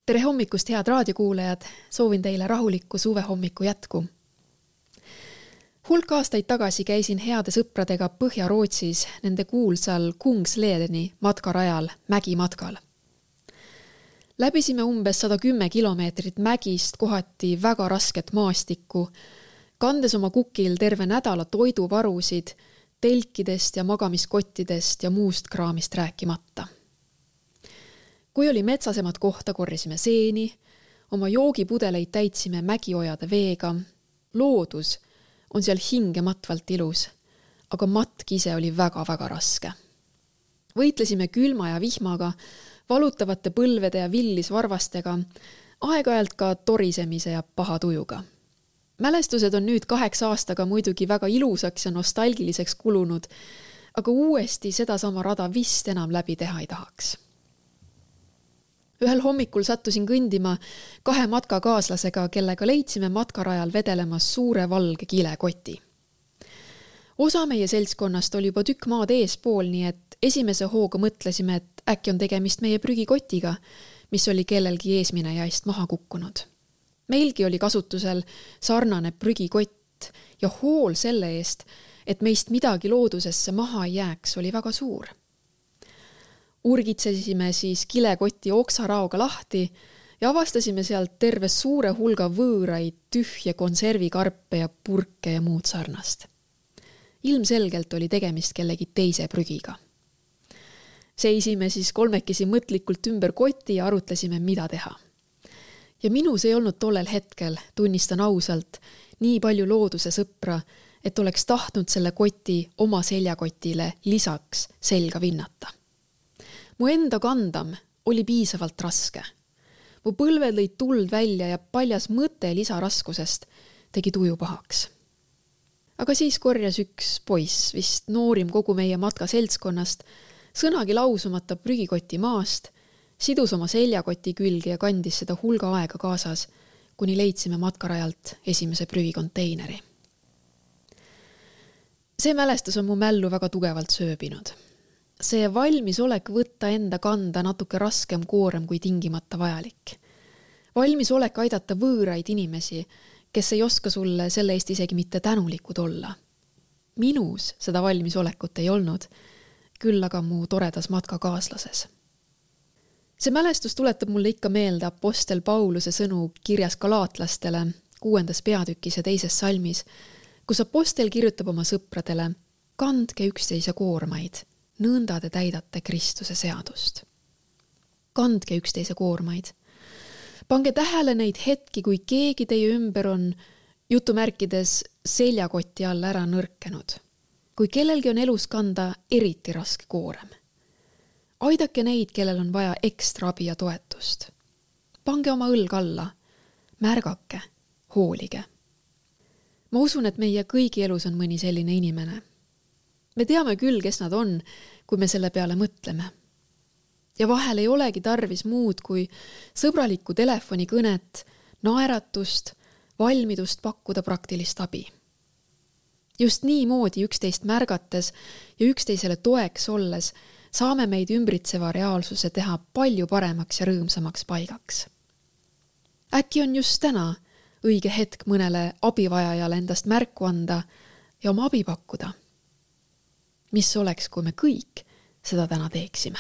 Tere hommikust, head raadiokuulajad! Soovin teile rahulikku suvehommiku jätku. Hulk aastaid tagasi käisin heade sõpradega Põhja-Rootsis nende kuulsal Kungsledeni matkarajal mägimatkal. Läbisime umbes 110 kilomeetrit mägist, kohati väga rasket maastikku, kandes oma kukil terve nädala toiduvarusid, telkidest ja magamiskottidest ja muust kraamist rääkimata. Kui oli metsasemat kohta, korjasime seeni, oma joogipudeleid täitsime mägiojade veega. Loodus on seal hingematvalt ilus, aga matk ise oli väga-väga raske. Võitlesime külma ja vihmaga, valutavate põlvede ja villisvarvastega, aeg-ajalt ka torisemise ja paha tujuga. Mälestused on nüüd 8 aastaga muidugi väga ilusaks ja nostalgiliseks kulunud, aga uuesti sedasama rada vist enam läbi teha ei tahaks. Ühel hommikul sattusin kõndima 2 matkakaaslasega, kellega leidsime matkarajal vedelemas suure valge kilekoti. Osa meie seltskonnast oli juba tükk maad eespool, nii et esimese hooga mõtlesime, et äkki on tegemist meie prügikotiga, mis oli kellelgi eesminejaist maha kukkunud. Meilgi oli kasutusel sarnane prügikott ja hool selle eest, et meist midagi loodusesse maha ei jääks, oli väga suur. Urgitsesime siis kilekoti oksaraoga lahti ja avastasime sealt terve suure hulga võõraid, tühje konservikarpe ja purke ja muud sarnast. Ilmselgelt oli tegemist kellegi teise prügiga. Seisime siis kolmekesi mõtlikult ümber koti ja arutlesime, mida teha. Ja minus ei olnud tollel hetkel, tunnistan ausalt, nii palju looduse sõpra, et oleks tahtnud selle koti oma seljakotile lisaks selga vinnata. Mu enda kandam oli piisavalt raske. Mu põlved lõid tuld välja ja paljas mõte lisaraskusest tegi tuju pahaks. Aga siis korjas üks poiss, vist noorim kogu meie matka seltskonnast, sõnagi lausumata prügikoti maast, sidus oma seljakoti külge ja kandis seda hulga aega kaasas, kuni leidsime matkarajalt esimese prügikonteineri. See mälestus on mu mällu väga tugevalt sööbinud. See valmisolek võtta enda kanda natuke raskem koorem kui tingimata vajalik. Valmisolek aidata võõraid inimesi, kes ei oska sulle selle eest isegi mitte tänulikud olla. Minus seda valmisolekut ei olnud, küll aga mu toredas matkakaaslases. See mälestus tuletab mulle ikka meelde apostel Pauluse sõnu kirjas galaatlastele 6. peatükis ja 2. salmis, kus apostel kirjutab oma sõpradele: kandke üksteise koormaid, nõnda te täidate Kristuse seadust. Kandke üksteise koormaid. Pange tähele neid hetki, kui keegi teie ümber on jutumärkides seljakoti all ära nõrkenud. Kui kellelgi on elus kanda eriti raske koorem. Aidake neid, kellel on vaja ekstra abi ja toetust. Pange oma õlg alla, märgake, hoolige. Ma usun, et meie kõigi elus on mõni selline inimene. Me teame küll, kes nad on, kui me selle peale mõtleme. Ja vahel ei olegi tarvis muud kui sõbralikku telefonikõnet, naeratust, valmidust pakkuda praktilist abi. Just nii moodi üksteist märgates ja üksteisele toeks olles saame meid ümbritseva reaalsuse teha palju paremaks ja rõõmsamaks paigaks. Äkki on just täna õige hetk mõnele abivajajale endast märku anda ja oma abi pakkuda. Mis oleks, kui me kõik seda täna teeksime?